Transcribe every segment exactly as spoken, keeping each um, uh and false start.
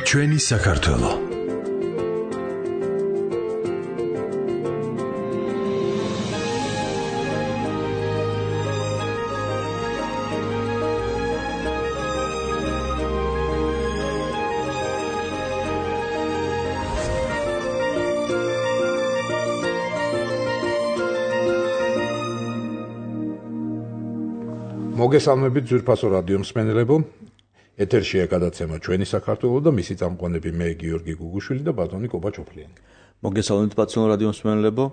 ჩვენი საქართველო. მოგესალმებით ძვირფასო რადიო მსმენელებო. ეთერშია გადაცემა ჩვენი საქართველო და მისი წამყვანები მე გიორგი გუგუშვილი და ბატონი კობა ჩოფლიანი. მოგესალმებით ბატონო რადიო მსმენელებო.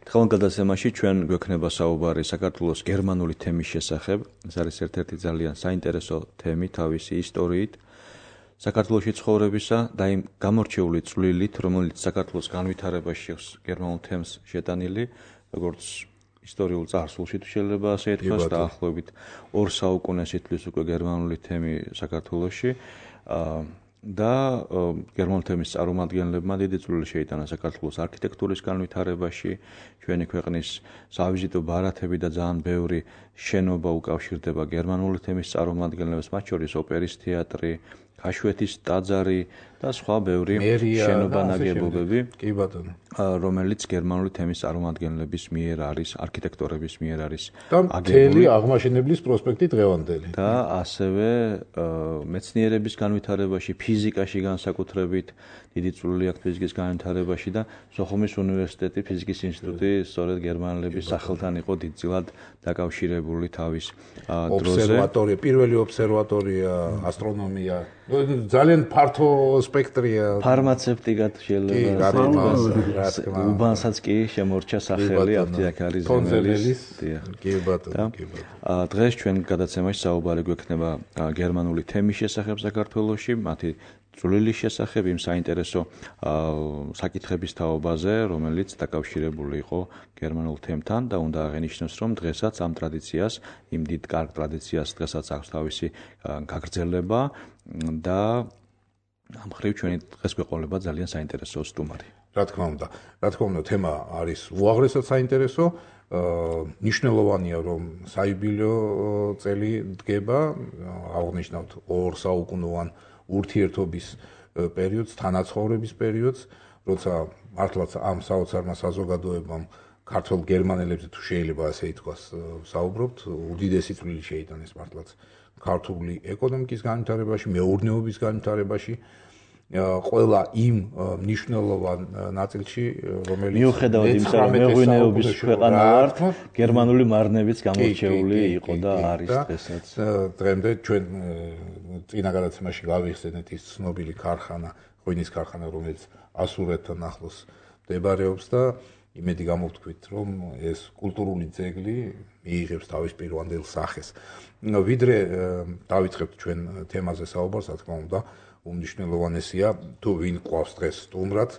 დღევანდელ გადაცემაში ჩვენ გვექნება საუბარი საქართველოს გერმანული თემის შესახებ. ეს არის ერთ-ერთი ძალიან საინტერესო თემი თავისი ისტორიით, საქართველოში ცხოვრებისა და იმ გამორჩეული წვლილით, რომელიც საქართველოს განვითარებაში აქვს გერმანულ თემს შეტანილი, როგორც ისტორიულ წარსულში თუ შეიძლება ასე ითქვას, დაახლოებით ორ საუკუნეს ითვლის უკვე გერმანული თემი საქართველოში და გერმანული თემის წარმომადგენლებმა დიდი წვლილი შეიტანა საქართველოს არქიტექტურის განვითარებაში, ჩვენი ქვეყნის სავიზიტო ბარათები და ძალიან ბევრი შენობა უკავშირდება გერმანული თემის წარმომადგენლებს, მათ შორის ოპერის თეატრი, ქაშვეთის ტაძარი და სხვა ბევრი შენობა ნაგებობები, კი ბატონო, რომელიც გერმანული თემის წარმომადგენლების მიერ არის, არქიტექტორების მიერ არის აგებული. აღმაშენებლის პროსპექტი დღევანდელი. და ასევე მეცნიერების განვითარებაში, ფიზიკაში განსაკუთრებით დიდი წვლილი აქვს ფიზიკის განვითარებაში და სოხუმის უნივერსიტეტი, ფიზიკის ინსტიტუტი სწორედ გერმანელების სახელთან იყო დიდწილად დაკავშირებული თავის დროზე. ობსერვატორია, პირველი ობსერვატორია, ასტრონომია, ძალიან ფართო სპექტრია. ფარმაცევტიკად შეიძლება უბანსაც კი შემორჩა სახელი აფთიაქარის ზემელის. კი ბატონო, კი ბატონო. დღეს ჩვენ გადაცემაში საუბარი გვექნება გერმანული თემის შესახებ საქართველოში, მათი წვლილის შესახებ, იმ საინტერესო საკითხების თაობაზე, რომელიც დაკავშირებული იყო გერმანულ თემთან და უნდა აღინიშნოს, რომ დღესაც ამ ტრადიციას, იმ დიდ კარგ ტრადიციას დღესაც აქვს თავისი გაგრძელება და ამ ხრივ ჩვენი დღეს გვეყოლება ძალიან საინტერესო სტუმარი. რა თქმა უნდა, რა თქმა უნდა, თემა არის უაღრესად საინტერესო. ნიშნულოვანია, რომ საიუბილეო წელი დგება, აღნიშნავთ ორ საუკუნოვან ურთიერთობის პერიოდს, თანაცხოვრების პერიოდს, როცა მართლაც ამ საოცარმა საზოგადოებამ ქართველ გერმანელებზე თუ შეიძლება ასე ითქვას, საუბრობთ, უდიდესი წვლილი შეიტანეს მართლაც ქართული ეკონომიკის განვითარებაში, მეურნეობის განვითარებაში, ყველა იმ მნიშვნელოვან ნაწილში, რომელიც მიუხედავად იმისა, რომ მეღვინეობის ქვეყანა ვართ, გერმანული მარნებიც გამორჩეული იყო და არის დღესაც. დღემდე ჩვენ წინა გადაცემაში გავიხსენეთ ის ცნობილი ქარხანა, ღვინის ქარხანა, რომელიც ასურეთთან ახლოს მდებარეობს და იმედი გამოვთქვით, რომ ეს კულტურული ძეგლი მიიღებს თავის პირვანდელ სახეს. ვიდრე დავიწყებთ ჩვენ თემაზე საუბარს, რა თქმა უნდა, უმნიშვნელოვანესია თუ ვინ ყავს დღეს სტუმრად,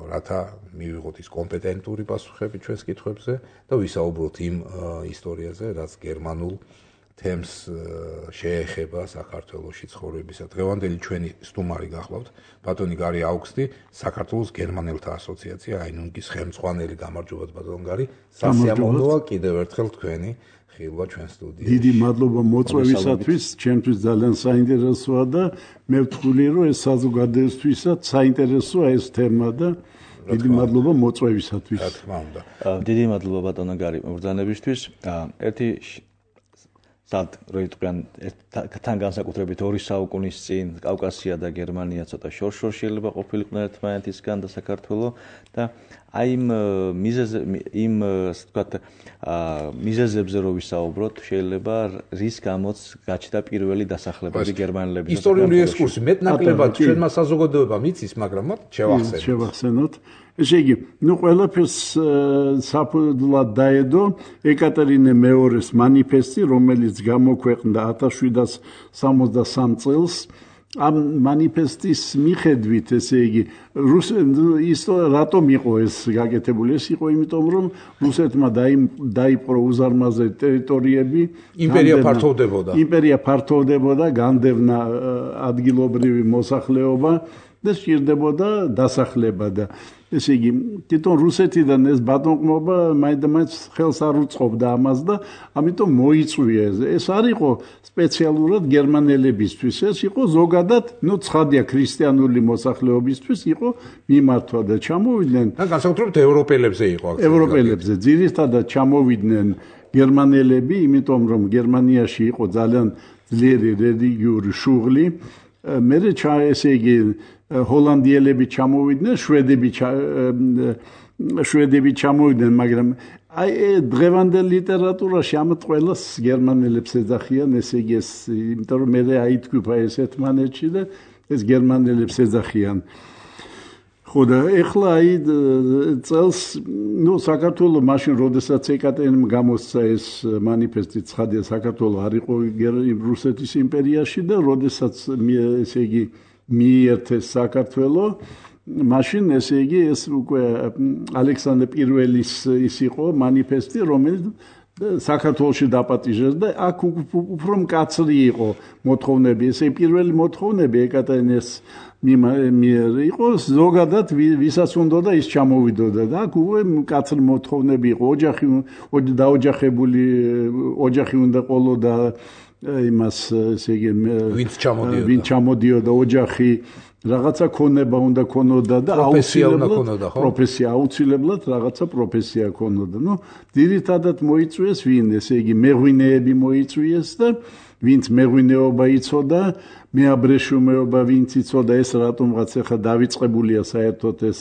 რათა მივიღოთ ის კომპეტენტური პასუხები ჩვენს კითხვებზე და ვისაუბროთ იმ ისტორიაზე, რაც გერმანულ თემს შეეხება საქართველოში ცხოვრებისა. დღევანდელი ჩვენი სტუმარი გახლავთ ბატონი გარი აუგსტი, საქართველოს გერმანელთა ასოციაცია აინუნგის ხელმძღვანელი. გამარჯობათ ბატონ გარი, სასიამოვნოა კიდევ ერთხელ თქვენი ხილვა ჩვენ სტუდიაში. დიდი მადლობა მოწვევისათვის, ჩემთვის ძალიან საინტერესოა და მე ვთქვი, რომ ეს საზოგადოებისთვისაც საინტერესოა ეს თემა და დიდი მადლობა მოწვევისათვის. რა თქმა უნდა. დიდი მადლობა ბატონო გარი მობრძანებისთვის. ერთი სად როიტყვიან თან განსაკუთრებით ორი საუკუნის წინ კავკასია და გერმანია ცოტა შორ-შორ შეიძლება ყოფილიყო ერთმანეთისგან და საქართველო და აი იმ მიზეზ იმ ასე ვთქვათ მიზეზებზე რო ვისაუბროთ, შეიძლება რის გამოც გაჩნდა პირველი დასახლებები გერმანელების. ისტორიული ექსკურსი მეტნაკლებად ჩვენმა საზოგადოებამ იცის, მაგრამ შევახსენოთ. შევახსენოთ. ესე იგი, ნუ ყველაფერს საფუძვლად დაედო ეკატერინე მეორის მანიფესტი, რომელიც გამოქვეყნდა ათას შვიდას სამოცდასამ წელს. ამ მანიფესტის მიხედვით, ესე იგი, ის რატომ იყო ეს გაკეთებული? ეს იყო იმიტომ, რომ რუსეთმა დაიპყრო უზარმაზარი ტერიტორიები, იმპერია ფართოვდებოდა. იმპერია ფართოვდებოდა, განდევნა ადგილობრივი მოსახლეობა და სჭირდებოდა დასახლება და ესე იგი, თვითონ რუსეთიდან ეს ბატონყმობა მაინდამაინც ხელს არ უწყობდა ამას და ამიტომ მოიწვია ეს. ეს არ იყო სპეციალურად გერმანელებისთვის, ეს იყო ზოგადად, ნუ ცხადია ქრისტიანული მოსახლეობისთვის იყო მიმართვა და ჩამოვიდნენ. და განსაკუთრებით ევროპელებზე იყო აქცენტი. ევროპელებზე ძირითადად ჩამოვიდნენ გერმანელები, იმიტომ რომ გერმანიაში იყო ძალიან ძლიერი რელიგიური შუღლი. მერე ესე იგი ჰოლანდიელები ჩამოვიდნენ, შვედები შვედები ჩამოვიდნენ, მაგრამ აი დღევანდელ ლიტერატურაში ამათ ყველას გერმანელებს ეძახიან, ესე იგი ეს, იმიტომ რომ მე აითქვა ეს ერთმანეთში და ეს გერმანელებს ეძახიან. ხო და ეხლა აი წელს, ნუ საქართველოს მაშინ როდესაც ეკატერინემ გამოსცა ეს მანიფესტი, ცხადია საქართველოს არ იყო რუსეთის იმპერიაში და როდესაც ესე იგი მიერთეს საქართველოს, მაშინ ესე იგი ეს უკვე ალექსანდრე პირველის ის იყო მანიფესტი, რომელიც საქართველოში დაპატიჟეს და აქ უფრო მკაცრი იყო მოთხოვნები. ესე პირველი მოთხოვნები ეკატერინეს მიერ იყო ზოგადად ვისაც უნდა და ის ჩამოვიდოდა და აქ უკვე მკაცრი მოთხოვნები იყო. ოჯახი დაოჯახებული ოჯახი უნდა ყოლოდა იმას ესე იგი ვინც ჩამოდიოდა ვინც ჩამოდიოდა ოჯახი რაღაცა ქონება უნდა ქონოდა და აუცილებლად პროფესია აუცილებლად რაღაცა პროფესია ქონოდა. ნუ ძირითადად მოიწვიეს ვინ, ესე იგი მეღვინეები მოიწვიეს და ვინც მეღვინეობა იცოდა, მეაბრეშუმეობა ვინც იცოდა, ეს რატომღაც ახლა დავიწყებულია საერთოდ ეს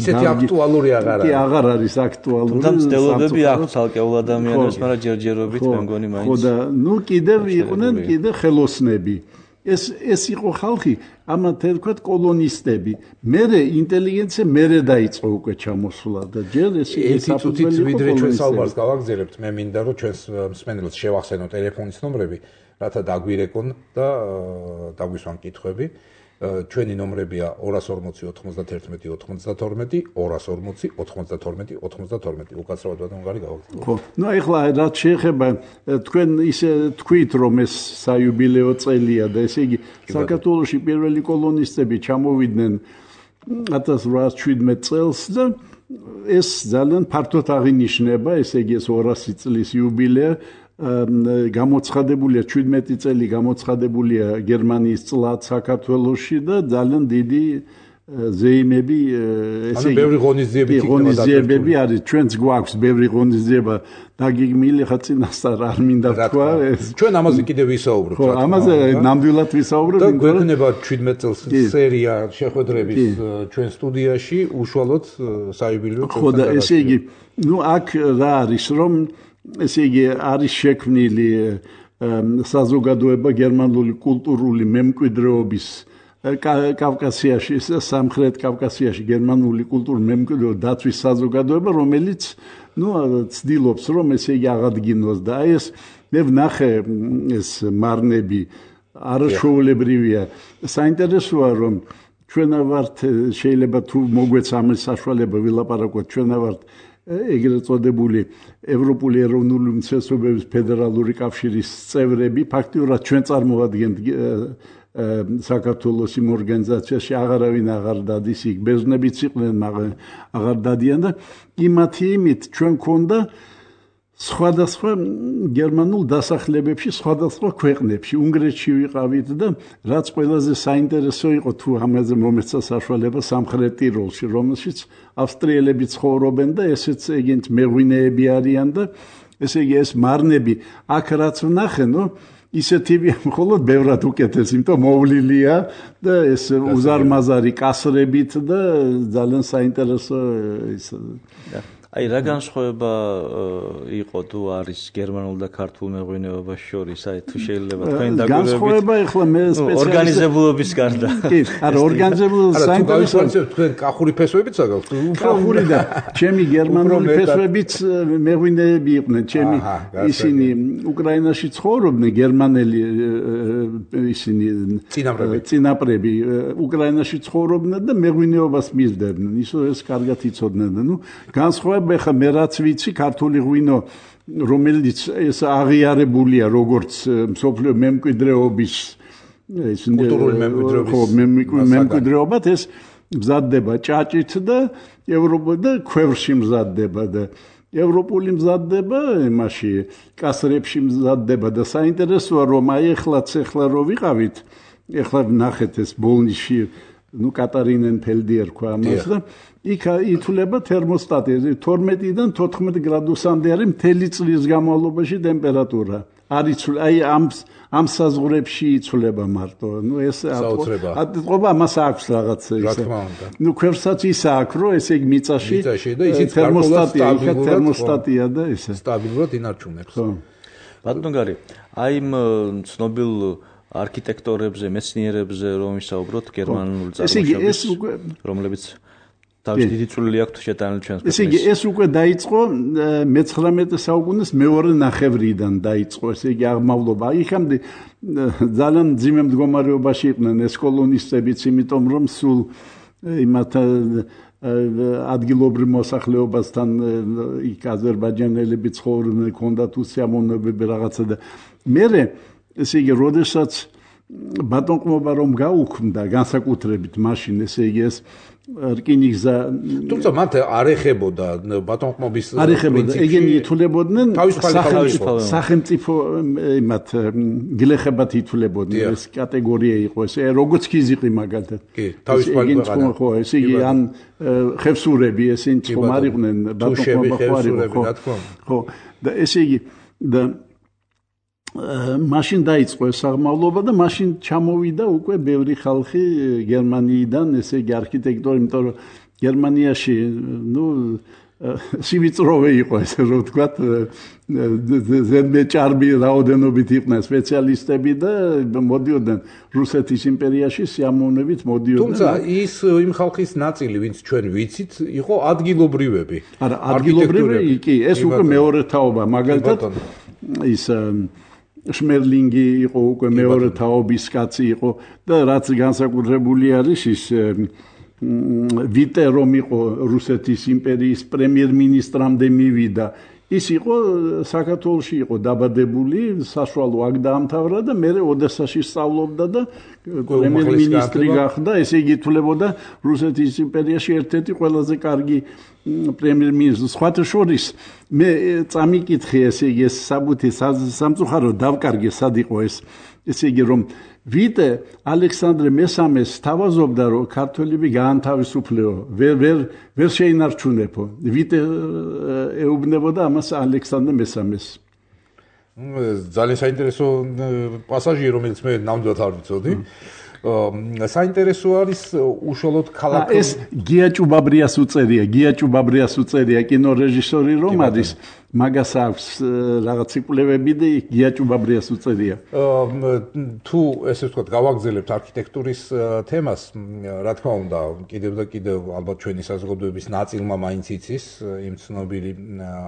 ისეთი აქტუალური აღარ არის. კი, აღარ არის აქტუალური. თუმცა მცდელობები აქვს ცალკეულ ადამიანებს, მაგრამ ჯერჯერობით მე მგონი მაინც. ხო და ნუ კიდევ იყვნენ კიდე ხელოსნები. ეს ეს იყო ხალხი, ამათ თქვათ კოლონისტები. მერე ინტელიგენცია მერე დაიწყო უკვე ჩამოსვლა და ჯერ ეს ეს წუთით ვიდრე ჩვენ საუბარს გავაგზავნებთ, მე მინდა რომ ჩვენს მსმენელს შევახსენო ტელეფონის ნომრები, რათა დაგვირეკონ და დაგვისვან კითხვები. ჩვენი ნომრებია ორას ორმოცი ოთხმოცდათერთმეტი ოცდათორმეტი, ორას ორმოცი ოთხმოცდათორმეტი ოცდათორმეტი. უკაცრავად ბატონო გარი გავაგზავნე. ხო, ნუ ეხლა რაც შეეხება თქვენ ისე თქვით რომ ეს საიუბილეო წელია და ესე იგი საქართველოში პირველი კოლონისტები ჩამოვიდნენ ათას რვაას შვიდმეტ წელს და ეს ძალიან ფართოდ აღინიშნება, ესე იგი ეს ორასი წლის იუბილეა. გამოცხადებულია შვიდმეტი წელი გამოცხადებულია გერმანიის წლად საქართველოში და ძალიან დიდი ზეიმები ესე იგი ბევრი ღონისძიებები არის ჩვენც გვაქვს ბევრი ღონისძიება დაგიგმილი ხა წინასწარ არ მინდა თქვა ჩვენ ამაზე კიდევ ვისაუბრებთ ხო ამაზე ნამდვილად ვისაუბრებთ და გვექნება შვიდმეტ წელს სერია შეხვედრების ჩვენ სტუდიაში უშუალოდ საიუბილეო წელს ხო და ესე იგი ნუ აქ რა არის რომ ესე იგი არის შექმნილი საზოგადოება გერმანული კულტურული მემკვიდრეობის კავკასიაში, სამხრეთ კავკასიაში გერმანული კულტურის მემკვიდრეობის დაცვის საზოგადოება, რომელიც ნუ ცდილობს რომ ესე იგი აღადგინოს და აი ეს მე ვნახე ეს მარნები არაშოულებრივია. საინტერესოა რომ ჩვენ ვართ შეიძლება თუ მოგვეცა ამის საშუალება ვილაპარაკოთ ჩვენ ვართ ეგრეთ წოდებული ევროპული ეროვნული უმცირესობების ფედერალური კავშირის წევრები, ფაქტიურად ჩვენ წარმოვადგენთ საქართველოს იმ ორგანიზაციაში აღარავინ აღარ დადის, იქ ბერძნებიც იყვნენ, მაგრამ აღარ დადიან და იმათი იმით ჩვენ ქონდა სხვადასხვა გერმანულ დასახლებებში, სხვადასხვა ქვეყნებში, უნგრეთში ვიყავით და რაც ყველაზე საინტერესო იყო თუ ამაზე მომეცა საშუალება სამხრეთ ტიროლში, რომელშიც ავსტრიელები ცხოვრობენ და ესეც ეგენც მეღვინეები არიან და ესე იგი ეს მარნები აქ რაც ვნახე, ნუ ისეთივე მხოლოდ ბევრად უკეთეს, იმიტომ მოვლილია და ეს უზარმაზარი კასრებით და ძალიან საინტერესო ის აი რა განსხვავება იყო თუ არის გერმანულ და ქართულ მეღვინეობას შორის, აი თუ შეიძლება თქვენ დაგვირებით განსხვავება ეხლა მე სპეციალისტ ორგანიზებულობის გარდა კი არა ორგანიზებულობის საინტერესო თქვენ კახური ფესვებიც აგაქვთ კახური და ჩემი გერმანული ფესვებიც მეღვინეები იყვნენ ჩემი ისინი უკრაინაში ცხოვრობდნენ გერმანელი ისინი წინაპრები უკრაინაში ცხოვრობდნენ და მეღვინეობას მისდევდნენ ისო ეს კარგად იცოდნენ და ნუ განსხვავება ხა მე რაც ვიცი ქართული ღვინო რომელიც ეს აღიარებულია როგორც მსოფლიო მემკვიდრეობის ეს კულტურული მემკვიდრეობის მემკვიდრეობად ეს მზადდება ჭაჭით და ევროპა და ქვევრში მზადდება და ევროპული მზადდება იმაში კასრებში მზადდება და საინტერესოა რომ აი ეხლაც ეხლა რო ვიყავით ეხლა ნახეთ ეს ბოლნიში ნუ კატარინენფელდი ერქვა ამას და იქ ითვლება თერმოსტატი თორმეტიდან თოთხმეტ გრადუსამდე არის მთელი წლის განმავლობაში ტემპერატურა არის აი ამ ამ საზღვრებში იცვლება მარტო ნუ ეს ატყობა ამას აქვს რაღაც ისე ნუ ქვევრსაც ის აქვს რომ ესე იგი მიწაში თერმოსტატია იქ თერმოსტატია და ესე სტაბილურად ინარჩუნებს ბატონო გარი აი იმ ცნობილ არქიტექტორებზე მეცნიერებზე რომ ვისაუბროთ გერმანული წარმოშობის რომლებიც თავის დიდი წვლილი აქვს შეტანილი ჩვენს ქვეყნის. ესე იგი ეს უკვე დაიწყო მეცხრამეტე საუკუნის მეორე ნახევრიდან დაიწყო ესე იგი აღმავლობა. იქამდე ძალიან ძიმე მდგომარეობაში იყვნენ ეს კოლონისტებიც, იმიტომ რომ სულ იმათ ადგილობრივ მოსახლეობასთან იქ აზერბაიჯანელები ცხოვრობდნენ, ჰქონდათ უსიამოვნებები რაღაცა და მერე ესე იგი როდესაც ბატონყმობა რომ გაუქმდა განსაკუთრებით მაშინ ესე იგი ეს რკინიგზა თუმცა მათ არ ეხებოდა ბატონყმობის პრინციპი ეგენი ითვლებოდნენ სახელმწიფო იმათ გლეხებად ითვლებოდნენ ეს კატეგორია იყო ესე როგორც ქიზიყი მაგალითად კი თავისუფალი ქვეყანა ხო ესე იგი ან ხევსურები ესენი წყომ არ იყვნენ ბატონყმობა ხო არ იყო ხო და ესე იგი და მაშინ დაიწყო ეს აღმავლობა და მაშინ ჩამოვიდა უკვე ბევრი ხალხი გერმანიიდან, ესე იგი არქიტექტორი, იმიტომ რომ გერმანიაში, ნუ სივიწროვე იყო ესე რომ ვთქვათ, ზედმეტ ჭარბი რაოდენობით იყვნენ სპეციალისტები და მოდიოდნენ რუსეთის იმპერიაში სიამოვნებით მოდიოდნენ. თუმცა ის იმ ხალხის ნაწილი, ვინც ჩვენ ვიცით, იყო ადგილობრივები. არა, ადგილობრივი კი, ეს უკვე მეორე თაობა, მაგალითად ის შმერლინგი იყო უკვე მეორე თაობის კაცი იყო და რაც განსაკუთრებული არის ის ვიტე რომ იყო რუსეთის იმპერიის პრემიერ-მინისტრამდე მივიდა ის იყო საქართველოში იყო დაბადებული საშუალო აქ დაამთავრა და მერე ოდესაში სწავლობდა და პრემიერ-მინისტრი გახდა ესე იგი ითვლებოდა რუსეთის იმპერიაში ერთ-ერთი ყველაზე კარგი პრემიერ-მინისტრი სხვათა შორის მე წამიკითხე ესე იგი ეს საბუთი სამწუხარო დავკარგე სად იყო ეს ესე იგი რომ ვიტე ალექსანდრე მესამეს თავაზობდა რომ ქართველები გაანთავისუფლეო ვერ ვერ ვერ შეინარჩუნებო ვიტე ეუბნებოდა ამას ალექსანდრე მესამეს ძალიან საინტერესო პასაჟი რომელიც მე ნამდვილად არ ვიცოდი საინტერესო არის უშუალოდ ქალაქ ეს გია ჭუბაბრიას უწერია გია ჭუბაბრიას უწერია კინორეჟისორი რომ არის მაგას აქვს რაღაც იკვლევები და გია ჭუბაბრიას უწერია თუ ესე ვთქვათ გავაგზელებთ არქიტექტურის თემას რა თქმა უნდა კიდევ და კიდევ ალბათ ჩვენი საზოგადოების ნაწილმა მაინც იცის იმ ცნობილი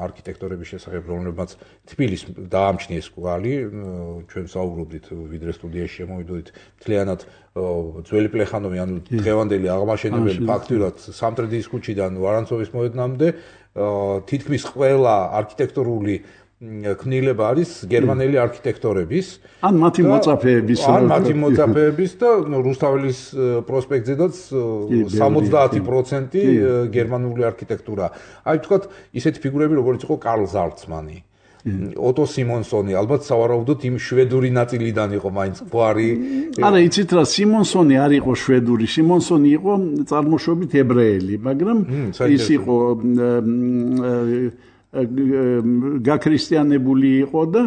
არქიტექტორების შესახებ რომლებმაც თბილისს დაამჩნიეს კვალი ჩვენ საუბრობდით ვიდრე სტუდიაში შემოვიდოდით მთლიანად ძველი პლეხანოვი ანუ დღევანდელი აღმაშენებელი ფაქტურად სამტრედიის ქუჩიდან ვარანცოვის მოედნამდე თითქმის ყველა არქიტექტურული ქმნილება არის გერმანელი არქიტექტორების ან მათი მოწაფეების ან მათი მოწაფეების და რუსთაველის პროსპექტზედაც სამოცდაათი პროცენტი გერმანული არქიტექტურა. აი ვთქვათ ისეთი ფიგურები როგორც იყო კარლ ზალცმანი ოტო სიმონსონი ალბათ სავარაუდოდ იმ შვედური ნაწილიდან იყო მაინც გვარი არა იცით რა სიმონსონი არ იყო შვედური სიმონსონი იყო წარმოშობით ებრაელი მაგრამ ის იყო გაქრისტიანებული იყო და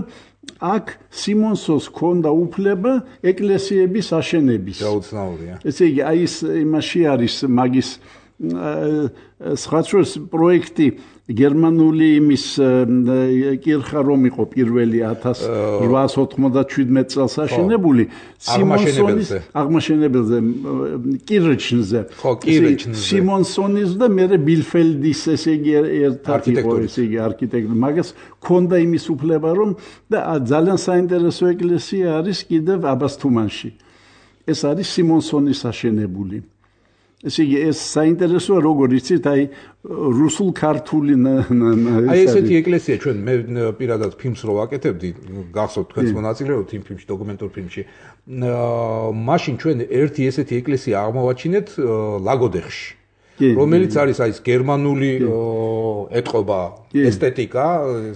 აქ სიმონსონს ჰქონდა უფლება ეკლესიების აშენების გაუცნაურია ესე იგი აი ეს იმაში არის მაგის სხვათა პროექტი გერმანული იმის კირხა რომ იყო პირველი ათას რვაას ოთხმოცდაშვიდმეტ წელს აშენებული სიმონსონის აღმაშენებელზე კირჩნზე ხო კირჩნზე სიმონსონის და მერე ბილფელდის ესე იგი ერთად იყო ესე იგი არქიტექტორი მაგას ქონდა იმის უფლება რომ და ძალიან საინტერესო ეკლესია არის კიდევ აბასთუმანში ეს არის სიმონსონის აშენებული ესე იგი ეს საინტერესოა როგორ იცით აი რუსულ ქართული აი ესეთი ეკლესია ჩვენ მე პირადად ფილმს რო ვაკეთებდი გახსოვთ თქვენს მონაწილეობით იმ ფილმში დოკუმენტურ ფილმში მაშინ ჩვენ ერთი ესეთი ეკლესია აღმოვაჩინეთ ლაგოდეხში რომელიც არის აი ეს გერმანული ეტყობა ესთეტიკა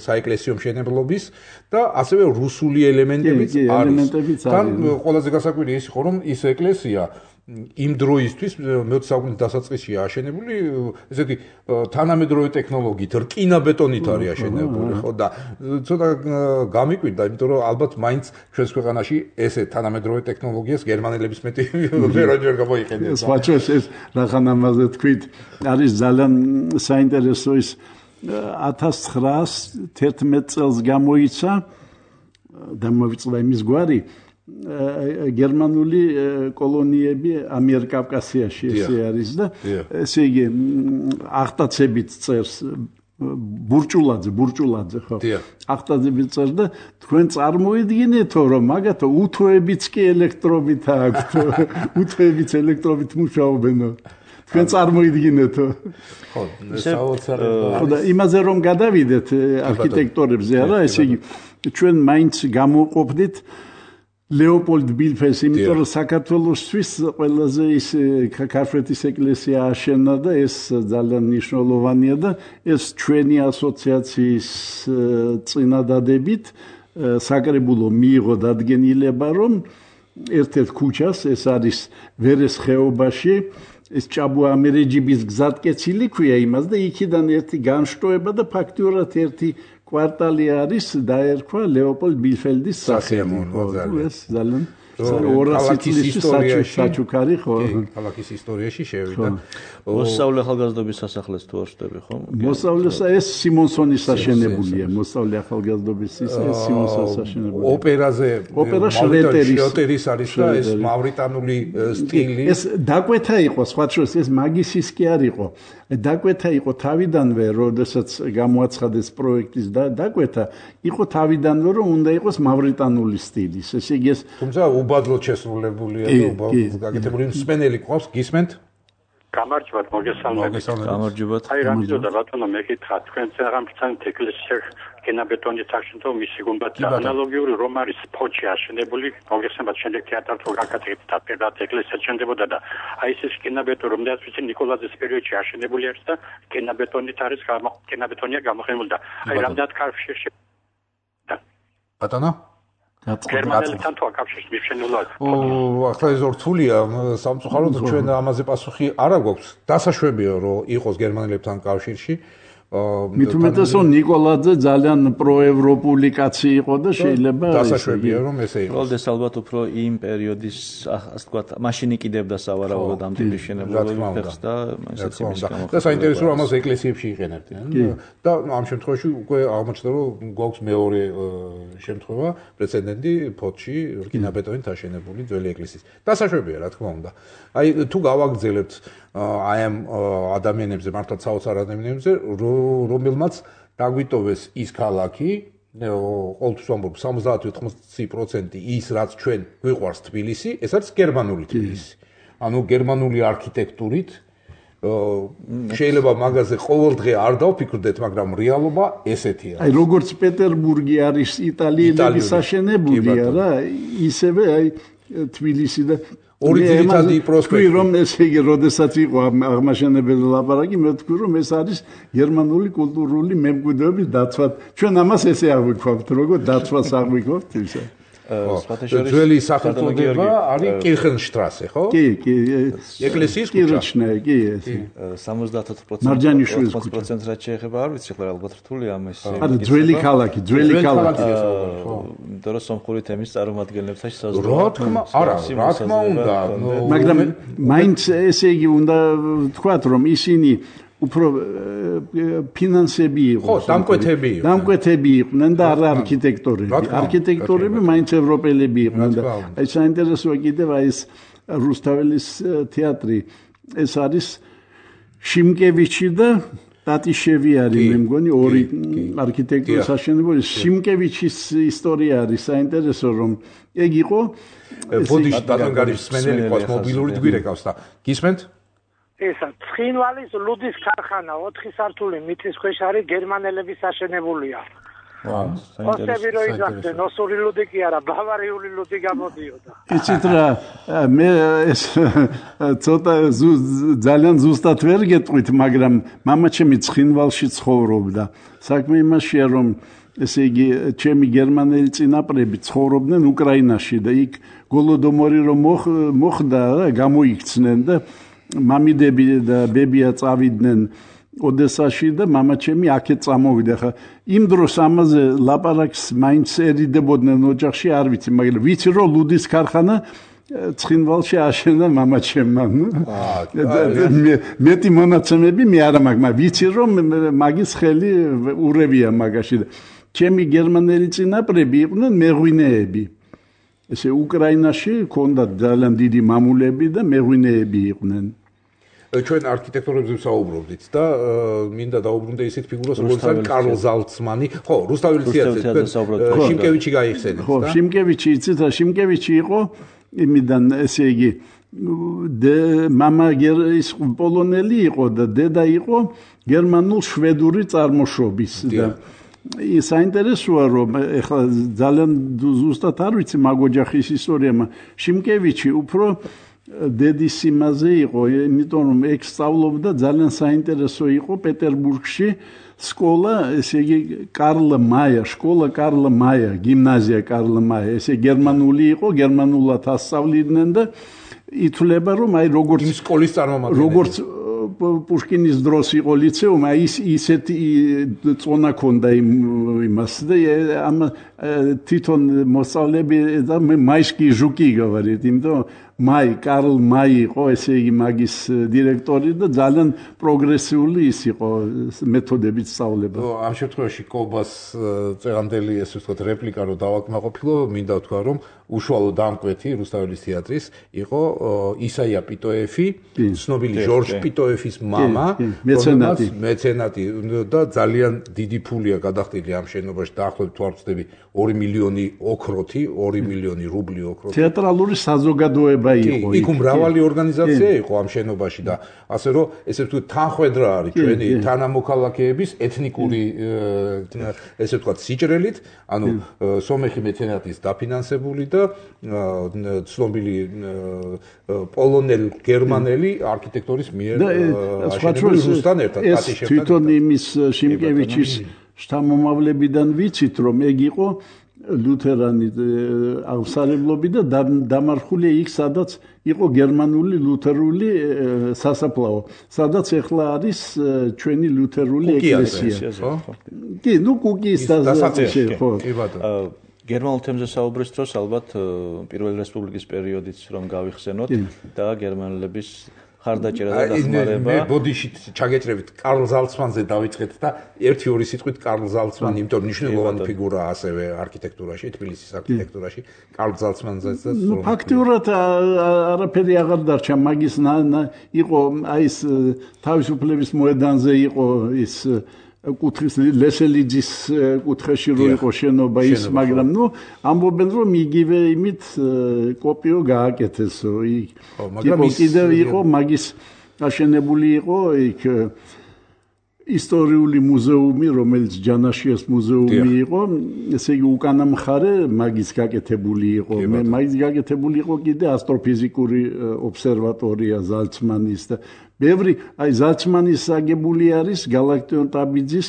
საეკლესიო მშენებლობის და ასევე რუსული ელემენტებიც არის თან ყველაზე გასაკვირი ის იყო რომ ის ეკლესია იმ დროისთვის მეოცე საუკუნის დასაწყისში აშენებული ესეთი თანამედროვე ტექნოლოგიით რკინა-ბეტონით არის აშენებული ხო და ცოტა გამიკვირდა იმიტომ რომ ალბათ მაინც ჩვენს ქვეყანაში ესე თანამედროვე ტექნოლოგიას გერმანელების მეტი ვერაჯერ გამოიყენებს სხვაჩოს ეს რახან ამაზე თქვით არის ძალიან საინტერესო ის ათას ცხრაას თერთმეტ წელს გამოიცა და მოვიწყდა იმის გვარი გერმანული კოლონიები ამიერკავკასიაში ესე არის და ესე იგი ახტაცებით წერს ბურჭულაძე ბურჭულაძე ხო ახტაცებით წერს და თქვენ წარმოიდგინეთო რომ მაგათო უთოებიც კი ელექტრობით აქვთ უთოებიც ელექტრობით მუშაობენო თქვენ წარმოიდგინეთო ხო საოცარი ხო და იმაზე რომ გადავიდეთ არქიტექტორებზე არა ესე იგი ჩვენ მაინც გამოვყოფდით ლეოპოლდ ბილფეს, იმიტომ რომ საქართველოსთვის ყველაზე ის ქართლის ეკლესია აშენდა და ეს ძალიან მნიშვნელოვანია და ეს ჩვენი ასოციაციის წინადადებით საკრებულო მიიღო დადგენილება, რომ ერთ-ერთ ქუჩას, ეს არის ვერეს ხეობაში, ეს ჭაბუა ამერეჯიბის გზატკეცილი ქვია იმას და იქიდან ერთი განშტოება და ფაქტიურად ერთი კვარტალი არის დაერქვა ლეოპოლდ ბილფელდის სახელით. ეს ძალიან ორასი წლის საჩუქარი ხო? ქალაქის ისტორიაში შევიდა. მოსწავლე ახალგაზრდობის სასახლეს თუ არ ვშტები ხო? მოსწავლეს ეს სიმონსონის აშენებულია. მოსწავლე ახალგაზრდობის ის სიმონსონის აშენებულია. ოპერაზე ოპერა შრეტერის შრეტერის არის და ეს მავრიტანული სტილი. ეს დაკვეთა იყო, სხვა შორის ეს მაგისის კი არ იყო. დაკვეთა იყო თავიდანვე, როდესაც გამოაცხადეს პროექტის და დაკვეთა იყო თავიდანვე, რომ უნდა იყოს მავრიტანული სტილის. ესე იგი ეს თუმცა უბადლოდ შესრულებულია და უბადლოდ გაკეთებული მსმენელი ყავს, გისმენთ? გამარჯობათ, მოგესალმებით. გამარჯობათ. აი რა მინდოდა ბატონო მეკითხა, თქვენ წაღამბცან ეკლესია გენაბეტონის აშენდა მისი გუმბათი ანალოგიური რომ არის ფოჩი აშენებული, მოგესალმებით, შემდეგ თეატრალ გაკეთებით და პირდაპირ ეკლესია შენდებოდა და აი ეს გენაბეტონი რომელიც ვიცი ნიკოლაძის პერიოდში აშენებული არის და გენაბეტონით არის გენაბეტონია გამოყენებული და აი რამდენად კავშირში ბატონო გერმანელებთან თუ აკავშირს მიფშენულად. ო, ახლა ეს რთულია, სამწუხაროდ ჩვენ ამაზე პასუხი არ აქვს. დასაშვებია რომ იყოს გერმანელებთან კავშირში. მით უმეტეს რომ ნიკოლაძე ძალიან პროევროპული კაცი იყო და შეიძლება დასაშვებია რომ ესე იყოს. როლდეს ალბათ უფრო იმ პერიოდის ასე ვთქვათ, მაშინ იყიდებდა სავარაუდოდ ამ ტიპის შენებლობებს და ესეც იმის გამო. და საინტერესო რომ ამას ეკლესიებში იყენებდნენ. და ამ შემთხვევაში უკვე აღმოჩნდა რომ გვაქვს მეორე შემთხვევა, პრეცედენტი ფოთში რკინაბეტონით აშენებული ძველი ეკლესიის. დასაშვებია რა თქმა უნდა. აი თუ გავაგრძელებთ აი ამ ადამიანებზე, მართლაც საოცარ ადამიანებზე, რომელმაც დაგვიტოვეს ის ქალაქი, ყოველთვის ვამბობ სამოცდაათი ოთხმოცი პროცენტი ის რაც ჩვენ გვიყვარს თბილისი, ეს არის გერმანული თბილისი. ანუ გერმანული არქიტექტურით შეიძლება მაგაზე ყოველდღე არ დავფიქრდეთ, მაგრამ რეალობა ესეთი არის. აი როგორც პეტერბურგი არის იტალიელების აშენებული რა, ისევე აი თბილისი და ორი ძირითადი პროსპექტი. რომ ესე იგი, როდესაც იყო აღმაშენებელი ლაპარაკი, მე ვთქვი, რომ ეს არის გერმანული კულტურული მემკვიდრეობის დაცვა. ჩვენ ამას ესე აღვიქვავთ, როგორ დაცვას აღვიქვავთ ისა. ძველი სახელწოდება არის კირხენშტრასე, ხო? კი, კი. ეკლესიის ქუჩა. კირჩნე, კი, ეს. სამოცდაოთხ პროცენტს რაც შეეხება, არ ვიცი, ხო, ალბათ რთულია ამ ეს. არა, ძველი ქალაქი, ძველი ქალაქი. იმიტომ რომ სომხური თემის წარმომადგენლებთან საზღვაო. რა თქმა, არა, რა თქმა უნდა. მაგრამ მაინც ესე იგი უნდა ვთქვათ, რომ ისინი უფრო ფინანსები იყო. ხო, დამკვეთები იყო. დამკვეთები იყვნენ და არა არქიტექტორები. არქიტექტორები მაინც ევროპელები იყვნენ და აი საინტერესოა კიდევ აი ეს რუსთაველის თეატრი, ეს არის შიმკევიჩი და ტატიშევი არის, მე მგონი ორი არქიტექტორის აშენებული. შიმკევიჩის ისტორია არის საინტერესო, რომ ეგ იყო ბოდიში ბატონგარის სმენელი ყავს მობილური გვირეკავს და გისმენთ? ესა ცხინვალის ლუდის ქარხანა ოთხი სართული მიწის ქვეშ არის გერმანელების აშენებულია. ვაუ, ოსტები რო იძახდნენ, ოსური ლუდი კი არა, ბავარიული ლუდი გამოდიოდა. იცით რა, მე ეს ცოტა ძალიან ზუსტად ვერ გეტყვით, მაგრამ მამაჩემი ცხინვალში ცხოვრობდა. საქმე იმაშია, რომ ესე იგი, ჩემი გერმანელი წინაპრები ცხოვრობდნენ უკრაინაში და იქ გოლოდომორი რომ მოხდა, გამოიქცნენ და მამიდები და ბებია წავიდნენ ოდესაში და მამაჩემი აქეთ წამოვიდა. ხა იმ დროს ამაზე ლაპარაკს მაინც ერიდებოდნენ ოჯახში, არ ვიცი, მაგრამ ვიცი რომ ლუდის ქარხანა ცხინვალში აშენდა მამაჩემმა. მეტი მონაცემები მე არა მაქვს, მაგრამ ვიცი რომ მაგის ხელი ურევია მაგაში და ჩემი გერმანელი წინაპრები იყვნენ მეღვინეები. ესე უკრაინაში ჰქონდათ ძალიან დიდი მამულები და მეღვინეები იყვნენ. ჩვენ არქიტექტორებზე ვსაუბრობდით და მინდა დაუბრუნდე ისეთ ფიგურას როგორც არის კარლ ზალცმანი. ხო, რუსთაველი თეატრზე შიმკევიჩი გაიხსენეთ და ხო, შიმკევიჩი იცით რა, შიმკევიჩი იყო იმიდან ესე იგი მამა ის პოლონელი იყო და დედა იყო გერმანულ-შვედური წარმოშობის და საინტერესოა რომ ეხლა ძალიან ზუსტად არ ვიცი მაგ ოჯახის ისტორია, შიმკევიჩი უფრო დედის იმაზე იყო, იმიტომ რომ ეგ სწავლობდა ძალიან საინტერესო იყო პეტერბურგში სკოლა, ესე იგი კარლ მაია, სკოლა კარლ მაია, გიმნაზია კარლ მაია, ესე გერმანული იყო, გერმანულად ასწავლიდნენ და ითვლება რომ აი როგორც იმ სკოლის წარმომადგენელი როგორც პუშკინის დროს იყო ლიცეუმი, აი ის ისეთი წონა ქონდა იმას და ამ თვითონ მოსწავლეები და მაისკი ჟუკი გავარით, იმიტომ მაი კარლ მაი იყო ესე იგი მაგის დირექტორი და ძალიან პროგრესიული ის იყო მეთოდებით სწავლება. ამ შემთხვევაში კობას წეღანდელი ესე ვთქვათ რეპლიკა რო დავაკმაყოფილო, მინდა ვთქვა რომ უშუალო დამკვეთი რუსთაველის თეატრის იყო ისაია პიტოეფი, ცნობილი ჟორჟ პიტოეფის მამა, მეცენატი მეცენატი და ძალიან დიდი ფულია გადახდილი ამ შენობაში დაახლოებით თუ არ ვცდები ორი მილიონი ოქროთი, ორი მილიონი რუბლი ოქროთი. თეატრალური საზოგადოება იყო. იქ მრავალი ორგანიზაცია იყო ამ შენობაში და ასე რომ ესე ვთქვათ თანხwebdriver არის ჩვენი თანამოქალაქეების ეთნიკური ესე ვთქვათ სიჭრელით, ანუ სომეხი მეცენატის დაფინანსებული და ცნობილი პოლონელ გერმანელი არქიტექტორის მიერ აშენებული რუსთან ერთად პატიშებთან. ეს თვითონ იმის შიმკევიჩის შთამომავლებიდან ვიცით რომ ეგ იყო ლუთერანი აღსარებლობი და დამარხული იქ სადაც იყო გერმანული ლუთერული სასაფლაო, სადაც ახლა არის ჩვენი ლუთერული ეკლესია. კი, ნუ კუკის დასაწევი ხო. გერმანულ თემზე საუბრის დროს ალბათ პირველი რესპუბლიკის პერიოდიც რომ გავიხსენოთ და გერმანელების ხარდაჭერა და დახმარება. მე ბოდიში ჩაგეჭრებით კარლ ზალცმანზე დავიწყეთ და ერთი ორი სიტყვით კარლ ზალცმანი, იმიტომ მნიშვნელოვანი ფიგურაა ასევე არქიტექტურაში, თბილისის არქიტექტურაში, კარლ ზალცმანზეც და ნუ ფაქტიურად არაფერი აღარ დარჩა, მაგის იყო აი ეს თავისუფლების მოედანზე იყო ის კუთხის ლესელიძის კუთხეში რო იყო შენობა ის, მაგრამ ნუ ამბობენ რომ იგივე იმით კოპიო გააკეთესო იქ. მაგრამ კიდევ იყო მაგის აშენებული იყო იქ ისტორიული მუზეუმი, რომელიც ჯანაშიას მუზეუმი იყო, ესე იგი უკანა მხარე მაგის გაკეთებული იყო. მე მაგის გაკეთებული იყო კიდე ასტროფიზიკური ობსერვატორია ზალცმანის და ბევრი აი ზალცმანის აგებული არის გალაქტიონ ტაბიძის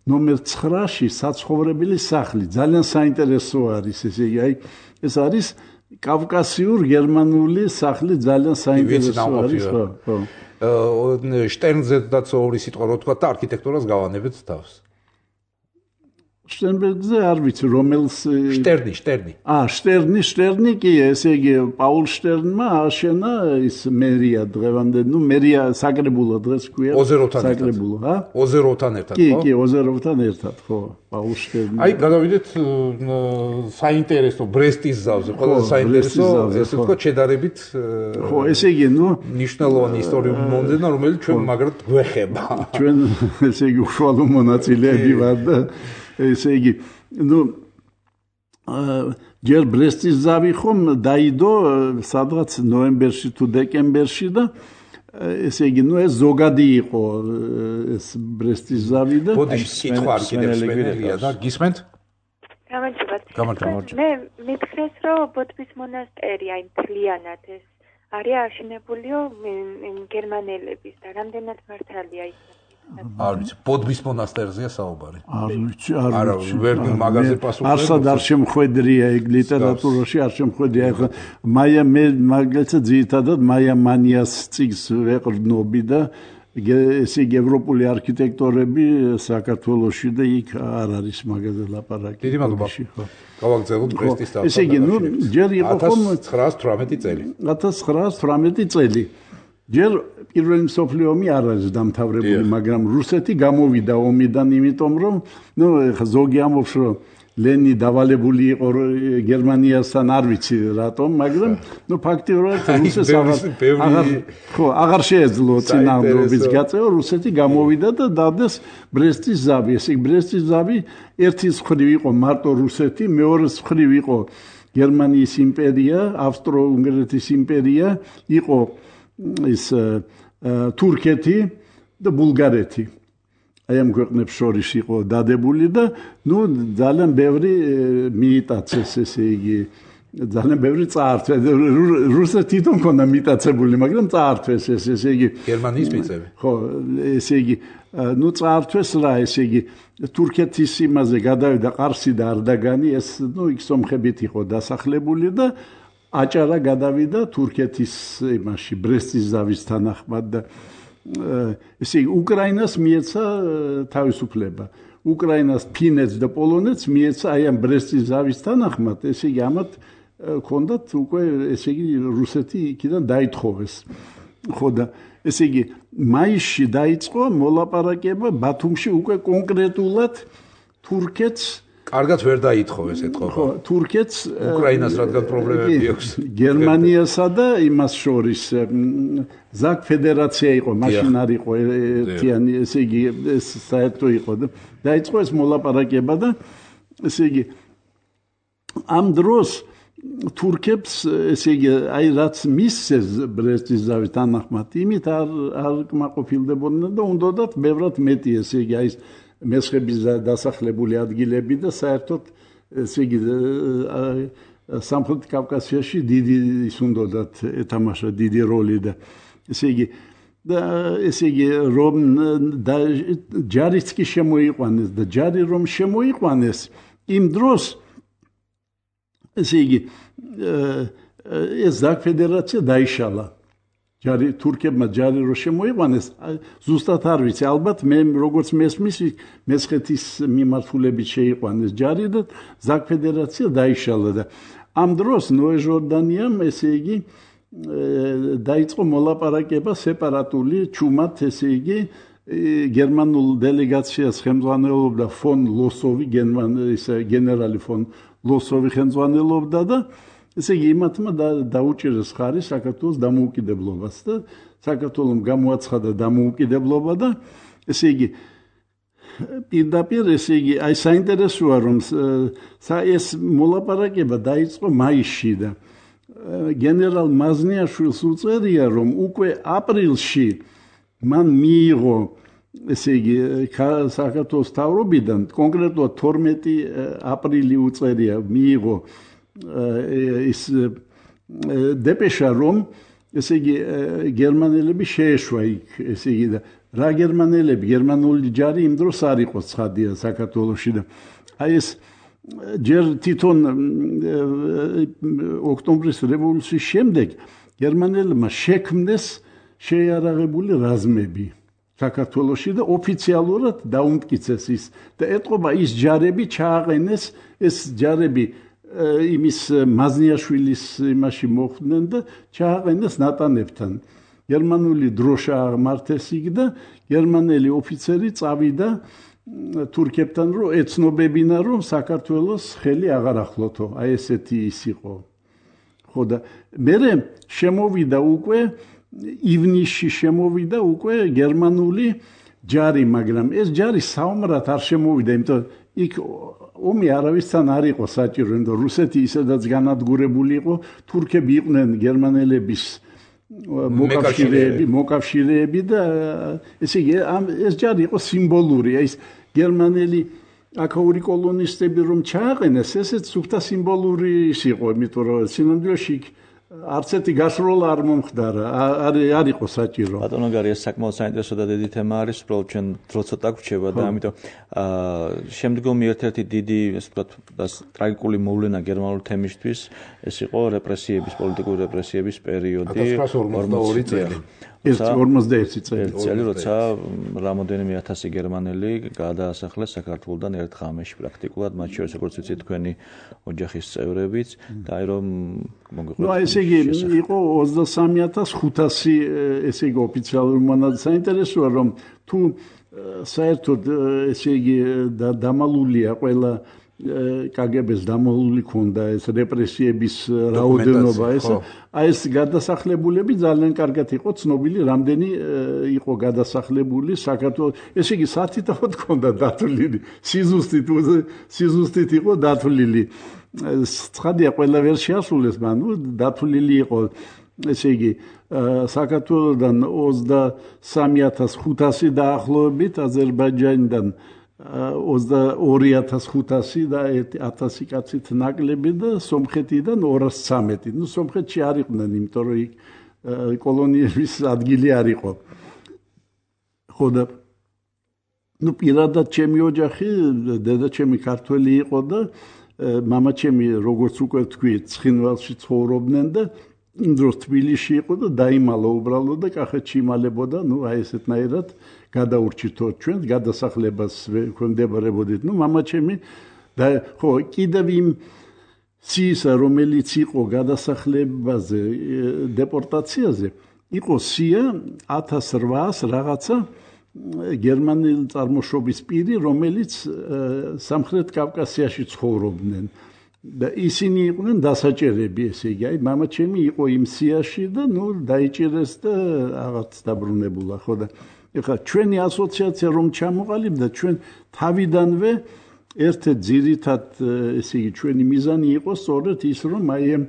ნომერ ცხრაში საცხოვრებელი სახლი. ძალიან საინტერესო არის ესე იგი აი ეს არის კავკასიურ გერმანული სახლი, ძალიან საინტერესო არის ხო ხო. შტერნზედაც ორი სიტყვა რო თქვა და არქიტექტურას გავანებთ თავს. შტერნბერგზე არ ვიცი რომელს შტერნი, შტერნი. აა, შტერნი, შტერნი კი, ესე იგი პაულ შტერნმა აშენა ის მერია დღევანდელი, ნუ მერია საკრებულო დღეს ქვია. ოზეროვთან ერთად. საკრებულო, ჰა? ოზეროვთან ერთად, ხო? კი, ხო? კი, ოზეროვთან ერთად, ხო, პაულ შტერნი. აი, გადავიდეთ საინტერესო ბრესტის ზავზე, ყველა საინტერესო, ესე ვთქვათ, შედარებით ხო, ესე იგი, ნუ მნიშვნელოვანი ისტორიული მომენტია, რომელიც ჩვენ მაგრად გვეხება. ჩვენ ესე იგი უშუალო მონაწილეები ვარ და ესე იგი, ნუ ჯერ ბრესტის ზავი ხომ დაიდო სადღაც ნოემბერში თუ დეკემბერში და ესე იგი, ნუ ეს ზოგადი იყო ეს ბრესტის ზავი და ბოდიში კითხვა არ კიდევ სვენელია და გისმენთ? გამარჯობათ. გამარჯობა. მე მითხრეს, რომ ბოდბის მონასტერი აი მთლიანად ეს არის აშენებულიო გერმანელების და რამდენად მართალია ის? არ ვიცი, ბოდბის მონასტერზეა საუბარი. არ ვიცი, არ ვიცი. ვერ მაგაზე პასუხი. არსად არ შემხვედრია ეგ ლიტერატურაში, არ შემხვედრია. ეხლა მაია მე მაგალითად ძირითადად მაია მანიას წიგს ვეყრდნობი და ესე იგი ევროპული არქიტექტორები საქართველოში და იქ არ არის მაგაზე ლაპარაკი. დიდი მადლობა. გავაგზავნოთ ბრესტის დავსა. ესე იგი, ნუ ჯერ იყო ხომ ათას ცხრაას თვრამეტი წელი. ათას ცხრაას თვრამეტი წელი. ჯერ პირველი მსოფლიო ომი არ არის დამთავრებული, მაგრამ რუსეთი გამოვიდა ომიდან, იმიტომ რომ ნუ ხა ზოგი ამბობს, რომ ლენი დავალებული იყო გერმანიასთან, არ ვიცი რატომ, მაგრამ ნუ ფაქტიურად რუსეთს აღარ ხო, აღარ შეეძლო წინააღმდეგობის გაწევა, რუსეთი გამოვიდა და დადეს ბრესტის ზავი. ესე იგი ბრესტის ზავი ერთის მხრივ იყო მარტო რუსეთი, მეორეს მხრივ იყო გერმანიის იმპერია, ავსტრო-უნგრეთის იმპერია, იყო ის თურქეთი და ბულგარეთი. აი ამ ქვეყნებს შორის იყო დადებული და ნუ ძალიან ბევრი მიიტაცეს, ესე იგი ძალიან ბევრი წაართვეს. რუსეთი თვითონ ქონდა მიიტაცებული, მაგრამ წაართვეს ეს, ესე იგი გერმანიის მიწები. ხო, ესე იგი ნუ წაართვეს რა, ესე იგი თურქეთის იმაზე გადავიდა ყარსი და არდაგანი, ეს ნუ იქ სომხებით იყო დასახლებული და აჭარა გადავიდა თურქეთის იმაში ბრესტის ზავის თანახმად და ესე იგი უკრაინას მიეცა თავისუფლება. უკრაინას, ფინეთს და პოლონეთს მიეცა აი ამ ბრესტის ზავის თანახმად, ესე იგი ამათ ქონდათ უკვე ესე იგი რუსეთი იქიდან დაითხოვეს. ხო და ესე იგი მაისში დაიწყო მოლაპარაკება ბათუმში უკვე კონკრეტულად თურქეთს კარგად ვერ დაითხოვეს ეთქო. ხო, თურქეთს უკრაინას რადგან პრობლემები აქვს. გერმანიასა და იმას შორის ზაკ ფედერაცია იყო, მაშინ არ იყო ერთიანი, ესე იგი ეს საერთო იყო და დაიწყო ეს მოლაპარაკება და ესე იგი ამ დროს თურქებს ესე იგი აი რაც მისცეს ბრესტის ზავის თანახმად, იმით არ არ კმაყოფილდებოდნენ და უნდათ ბევრად მეტი ესე იგი აი მესხების დასახლებული ადგილები და საერთოდ ესე იგი სამხრეთ კავკასიაში დიდი ის უნდათ ეთამაშა დიდი როლი და ესე იგი და ესე იგი რომ და ჯარიც კი შემოიყვანეს და ჯარი რომ შემოიყვანეს იმ დროს ესე იგი ეს ზაკ ფედერაცია დაიშალა. ჯარი თურქებმა ჯარი რო შემოიყვანეს, ზუსტად არ ვიცი, ალბათ მე როგორც მესმის მესხეთის მიმართულებით შეიყვანეს ჯარი და ზაკ ფედერაცია დაიშალა და ამ დროს ნოე ჟორდანიამ ესე იგი დაიწყო მოლაპარაკება სეპარატული ჩუმად, ესე იგი გერმანულ დელეგაციას ხელმძღვანელობდა ფონ ლოსოვი, გენერალი ფონ ლოსოვი ხელმძღვანელობდა და ესე იგი იმათმა დაუჭირეს ხარი საქართველოს დამოუკიდებლობას და საქართველოს გამოაცხადა დამოუკიდებლობა და ესე იგი პირდაპირ ესე იგი აი საინტერესოა რომ ეს მოლაპარაკება დაიწყო მაისში და გენერალ მაზნიაშვილს უწერია რომ უკვე აპრილში მან მიიღო ესე იგი საქართველოს თავრობიდან კონკრეტულად თორმეტი აპრილი უწერია მიიღო ის დეპეშა რომ ესე იგი გერმანელები შეეშვა იქ ესე იგი და რა გერმანელები გერმანული ჯარი იმ დროს არ იყო ცხადია საქართველოში და აი ეს ჯერ თვითონ ოქტომბრის რევოლუციის შემდეგ გერმანელებმა შექმნეს შეიარაღებული რაზმები საქართველოში და ოფიციალურად დაუმტკიცეს ის და ეტყობა ის ჯარები ჩააყენეს ეს ჯარები იმის მაზნიაშვილის იმაში მოხვდნენ და ჩააყენეს ნატანებთან. გერმანული დროშა აღმართეს იქ და გერმანელი ოფიცერი წავიდა თურქებთან რომ ეცნობებინა რომ საქართველოს ხელი აღარ ახლოთო. აი ესეთი ის იყო. ხო და მერე შემოვიდა უკვე ივნისში შემოვიდა უკვე გერმანული ჯარი, მაგრამ ეს ჯარი საომრად არ შემოვიდა, იმიტომ იქ ომი არავისთან არ იყო საჭირო, იმიტომ რუსეთი ისედაც განადგურებული იყო, თურქები იყვნენ გერმანელების მოკავშირეები, მოკავშირეები და ესე იგი ეს ჯარი იყო სიმბოლური, ეს გერმანელი აქაური კოლონისტები რომ ჩააყენეს, ესეც სუფთა სიმბოლური იყო, იმიტომ რომ სინამდვილეში არც ერთი გასროლა არ მომხდარა, არ არ იყო საჭირო. ბატონო გარი, ეს საკმაოდ საინტერესო და დიდი თემა არის, უბრალოდ ჩვენ დრო ცოტა გვჩება და ამიტომ აა შემდგომი ერთ-ერთი დიდი, ასე ვთქვათ, ტრაგიკული მოვლენა გერმანული თემისთვის ეს იყო რეპრესიების, პოლიტიკური რეპრესიების პერიოდი ათას ცხრაასი ორმოცდაორი წელი. ეს ორმოცდაერთი წელი, წელი, როცა რამოდენიმე ათასი გერმანელი გადაასახლეს საქართველოსთან ერთ ღამეში პრაქტიკულად, მათ შორის როგორც ვიცით თქვენი ოჯახის წევრებიც და აი რომ მოგიყვეთ. ნუ ესე იგი იყო ოცდასამი ათას ხუთასი ესე იგი ოფიციალური მონაცემი. საინტერესოა რომ თუ საერთოდ ესე იგი დამალულია ყველა კაგებეს დამალული ქონდა ეს რეპრესიების რაოდენობა ეს აი ეს გადასახლებულები ძალიან კარგად იყო ცნობილი რამდენი იყო გადასახლებული საქართველოს ესე იგი სათითაოდ ქონდა დათვლილი სიზუსტით სიზუსტით იყო დათვლილი ცხადია ყველა ვერ შეასრულეს მანუ დათვლილი იყო ესე იგი საქართველოსთან ოცდასამი ათას ხუთასი დაახლოებით აზერბაიჯანიდან ოცდაორი ათას ხუთასი და ათასი კაცით ნაკლები და სომხეთიდან ორასი ცამეტი. ნუ სომხეთში არ იყვნენ, იმიტომ რომ იქ კოლონიების ადგილი არ იყო. ხო და ნუ პირადად ჩემი ოჯახი, დედაჩემი ქართველი იყო და მამაჩემი როგორც უკვე თქვი, ცხინვალში ცხოვრობდნენ და იმ დროს თბილისში იყო და დაიმალა უბრალოდ და კახეთში იმალებოდა, ნუ აი ესეთნაირად გადაურჩითო ჩვენ გადასახლებას ვექვემდებარებოდით. ნუ მამაჩემი და ხო კიდევ იმ სიისა რომელიც იყო გადასახლებაზე დეპორტაციაზე იყო სია ათას რვაას რაღაცა გერმანელი წარმოშობის პირი რომელიც სამხრეთ კავკასიაში ცხოვრობდნენ და ისინი იყვნენ დასაჭერები ესე იგი აი მამაჩემი იყო იმ სიაში და ნუ დაიჭირეს და რაღაც დაბრუნებულა ხო და ეხლა ჩვენი ასოციაცია რომ ჩამოყალიბდა ჩვენ თავიდანვე ერთ-ერთ ძირითად ესე იგი ჩვენი მიზანი იყო სწორედ ის რომ აი ამ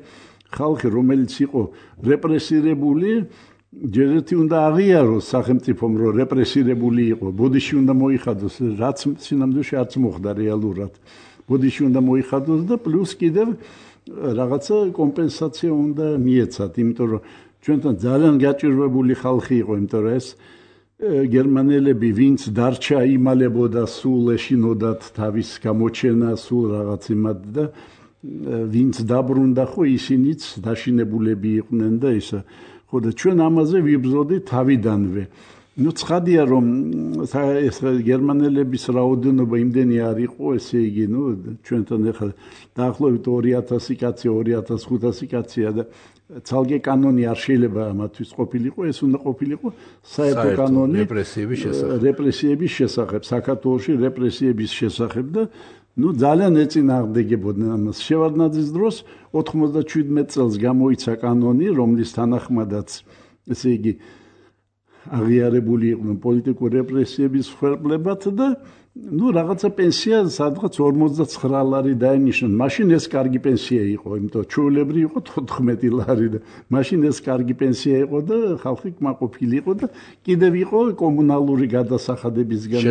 ხალხი რომელიც იყო რეპრესირებული ჯერ ერთი უნდა აღიაროს სახელმწიფომ რომ რეპრესირებული იყო ბოდიში უნდა მოიხადოს რაც სინამდვილეში არც მოხდა რეალურად ბოდიში უნდა მოიხადოს და პლუს კიდევ რაღაცა კომპენსაცია უნდა მიეცათ იმიტომ რომ ჩვენთან ძალიან გაჭირვებული ხალხი იყო იმიტომ რომ ეს გერმანელები ვინც დარჩა იმალებოდა სულ ეშინოდათ თავის გამოჩენა სულ რაღაც იმად და ვინც დაბრუნდა ხო ისინიც დაშინებულები იყვნენ და ისა ხო და ჩვენ ამაზე ვიბრძოდით თავიდანვე ნუ ცხადია რომ ეს გერმანელების რაოდენობა იმდენი არ იყო ესე იგი ნუ ჩვენთან ახლა დაახლოებით ორი ათასი კაცი ორი ათას ხუთასი კაცია და ცალკე კანონი არ შეიძლება ამათთვის ყოფილიყო ეს უნდა ყოფილიყო საერთო კანონი რეპრესიების შესახებ რეპრესიების შესახებ საქართველოში რეპრესიების შესახებ და ნუ ძალიან ეწინააღმდეგებოდნენ ამას შევარდნაძის დროს ოთხმოცდაჩვიდმეტ წელს გამოიცა კანონი რომლის თანახმადაც ესე იგი აღიარებული იყვნენ პოლიტიკური რეპრესიების მსხვერპლებად და ნუ რაღაცა პენსია სადღაც ორმოცდაცხრა ლარი დაენიშნნენ. მაშინ ეს კარგი პენსია იყო, იმიტომ ჩვეულებრივი იყო თოთხმეტი ლარი და მაშინ ეს კარგი პენსია იყო და ხალხი კმაყოფილი იყო და კიდევ იყო კომუნალური გადასახადებისგან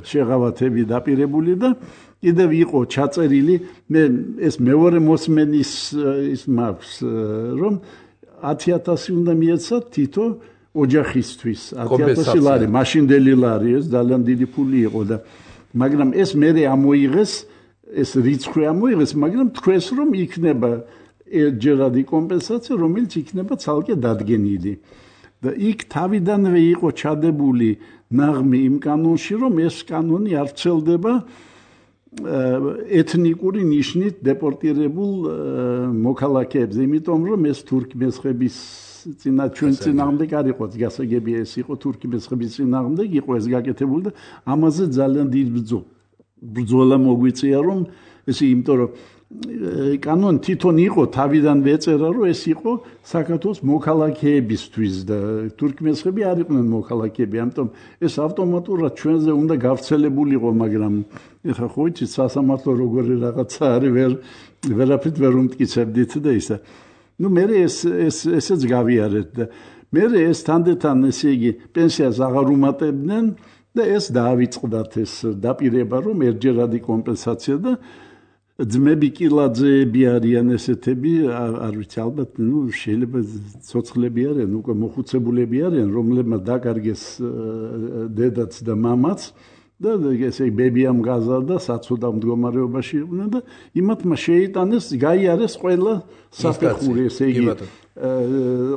შეღავათები დაპირებული და კიდევ იყო ჩაწერილი მე ეს მეორე მოსმენის ის მაქვს რომ ათი ათასი უნდა მიეცათ თითო ოჯახისთვის ათი ათასი ლარი მაშინდელი ლარი ეს ძალიან დიდი ფული იყო და მაგრამ ეს მერე ამოიღეს ეს რიცხვი ამოიღეს მაგრამ თქვენს რომ იქნება ერთჯერადი კომპენსაცია რომელიც იქნება ცალკე დადგენილი და იქ თავიდანვე იყო ჩადებული ნაღმი იმ კანონში რომ ეს კანონი არ ვრცელდება ეთნიკური ნიშნით დეპორტირებულ მოქალაქეებზე იმიტომ რომ ეს თურქმესხების წინა ჩვენ წინააღმდეგ არ იყო გასაგები ეს იყო თურქმესხების წინააღმდეგ იყო ეს გაკეთებული და ამაზე ძალიან დიდ ბრძოლა მოგვიწია რომ ეს იმიტომ რომ კანონი თვითონ იყო თავიდან ეწერა რომ ეს იყო საქართველოს მოქალაქეებისთვის და თურქმესხები არ იყვნენ მოქალაქეები ამიტომ ეს ავტომატურად ჩვენზე უნდა გავრცელებულიყო მაგრამ ეხლა ხო იცით სასამართლო როგორი რაღაცა არის ვერ ვერაფრით ვერ უმტკიცებდით და ისა ნუ მე ეს ეს ესეც გავიარეთ და მე ეს თანდათან ესე იგი პენსიას აღარ უმატებდნენ და ეს დაავიწყდათ ეს დაპირება რომ ერთჯერადი კომპენსაცია და ძმები კილაძეები არიან ესეთები არ ვიცი ალბათ ნუ შეიძლება ცოცხლები არიან უკვე მოხუცებულები არიან რომლებმაც დაკარგეს დედაც და მამაც და ესე ბებიამ გაზარდა საცოდავ მდგომარეობაში იყვნენ და იმათმა შეიტანეს გაიარეს ყველა საფეხური ესე იგი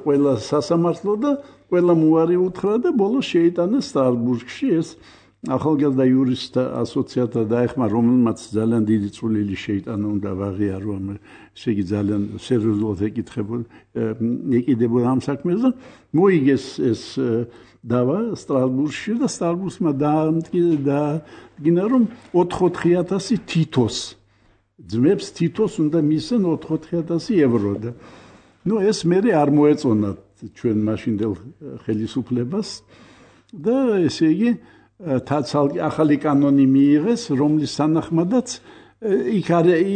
ყველა სასამართლო და ყველა მოარი უთხრა და ბოლოს შეიტანეს სტრასბურგში ეს ახალგაზრდა იურისტთა ასოციაცია დაეხმარა რომელმაც ძალიან დიდი წვლილი შეიტანა უნდა ვაღიარო ესე იგი ძალიან სერიოზულად ეკითხებოდა ეკიდებოდა ამ საქმეს და მოიგეს ეს დავა სტრასბურგში და სტრასბურგმა დაადგინა რომ ოთხ-ოთხი ათასი თითოს ძმებს თითოს უნდა მისცენ ოთხ-ოთხი ათასი ევრო და ნუ ეს მე არ მოეწონათ ჩვენ მაშინდელ ხელისუფლებას და ესე იგი ახალი კანონი მიიღეს რომლის თანახმადაც იქ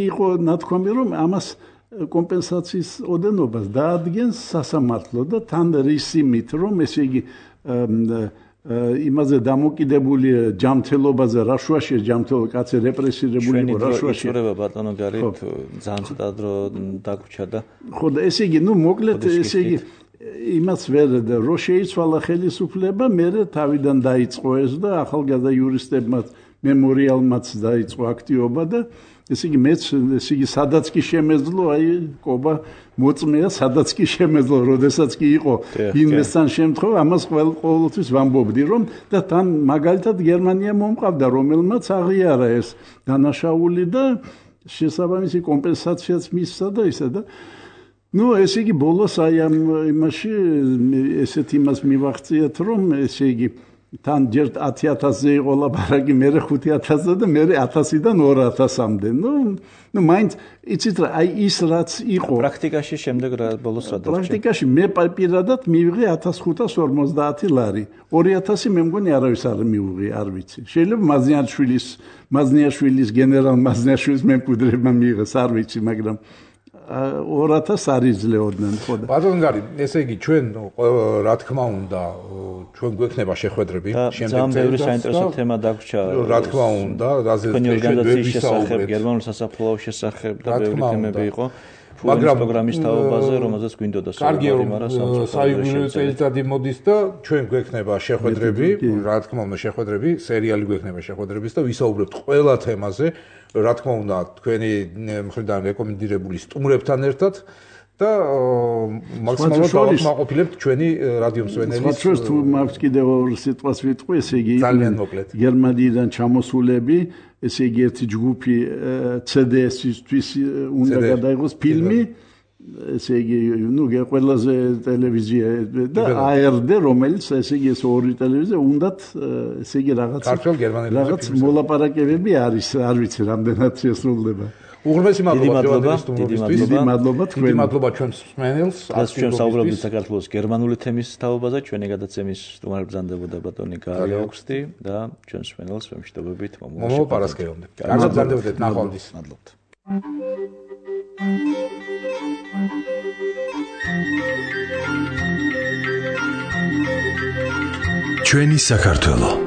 იყო ნათქვამი რომ ამას კომპენსაციის ოდენობას დაადგენს სასამართლო და თან რისიმით რომ ესე იგი იმაზე დამოკიდებული ჯანმრთელობაზე რაშუაში ჯანმრთელობა კაცი რეპრესირებული იყო რაშუაში ჩვენი ბატონო გარეთ ძალიან ცოტა დრო დაგვრჩა და ხო და ესე იგი ნუ მოკლედ ესე იგი იმას ვერ რო შეიცვალა ხელისუფლება მე თავიდან დაიწყო ეს და ახალგაზრდა იურისტებმა მემორიალმაც დაიწყო აქტივობა და ესე იგი მეც ესე იგი სადაც კი შემეძლო აი ყობა მოწმეა სადაც კი შემეძლო როდესაც კი იყო ინვესტან შემთხვევა ამას ყოველთვის ვამბობდი რომ და თან მაგალითად გერმანია მომყავდა რომელმაც აღიარა ეს დანაშაული და შესაბამისი კომპენსაციაც მისცა და ისა და ნუ ესე იგი ბოლოს აი ამ იმაში ესეთ იმას მივახციეთ რომ ესე იგი თან ჯერ ათი ათასზე იყო ლაპარაკი მერე ხუთი ათასზე და მერე ათასიდან ორ ათასამდე ნუ ნუ მაინც იცით რა აი ის რაც იყო პრაქტიკაში შემდეგ რა ბოლოს რა დარჩა პრაქტიკაში მე პირადად მივიღე ათას ხუთას ორმოცდაათი ლარი ორი ათასი მე მგონი არავის არ მივიღე არ ვიცი შეიძლება მაზნიაშვილის მაზნიაშვილის გენერალ მაზნიაშვილის მემკვიდრეებმა მიიღეს არ ვიცი მაგრამ ორ ათასს არ იძლეოდნენ ხო და ბატონო გარი ესე იგი ჩვენ რა თქმა უნდა ჩვენ გვექნება შეხვედრები შემდეგ ძალიან ბევრი საინტერესო თემა დაგვრჩა რა თქმა უნდა რაზე ჩვენ ვისაუბრებთ გერმანულ სასაფლაოს შესახებ და ბევრი თემები იყო მაგრამ პროგრამის თაობაზე რომელზეც გვინდოდა საუბარი მაგრამ საიუბილეო წელიწადი მოდის და ჩვენ გვექნება შეხვედრები რა თქმა უნდა შეხვედრები სერიალი გვექნება შეხვედრების და ვისაუბრებთ ყველა თემაზე რა თქმა უნდა თქვენი მხრიდან რეკომენდირებული სტუმრებთან ერთად და მაქსიმალურად დავაკმაყოფილებთ ჩვენი რადიო მსმენელის სხვა თუ მაქვს კიდევ ორ სიტყვას ვიტყვი ესე იგი გერმანიიდან ჩამოსულები ესე იგი ერთი ჯგუფი ცე დე ეს-ისთვის უნდა გადაიღოს ფილმი ესე იგი ნუ ყველაზე ტელევიზია და ა er de რომელიც ესე იგი ეს ორი ტელევიზია უნდათ ესე იგი რაღაც რაღაც მოლაპარაკებები არის არ ვიცი რამდენად შესრულდება უღრმესი მადლობა სტუმრობისთვის დიდი მადლობა თქვენ დიდი მადლობა ჩვენს მსმენელს ეს ჩვენ საუბრობთ საქართველოს გერმანული თემის თაობაზე ჩვენი გადაცემის სტუმარი ბრძანდებოდა ბატონი გარი აუგუსტი და ჩვენს მსმენელს ვემშვიდობებით მომავალ პარასკევამდე კარგად ბრძანდებოდეთ ნახვამდის მადლობთ ჩვენი საქართველო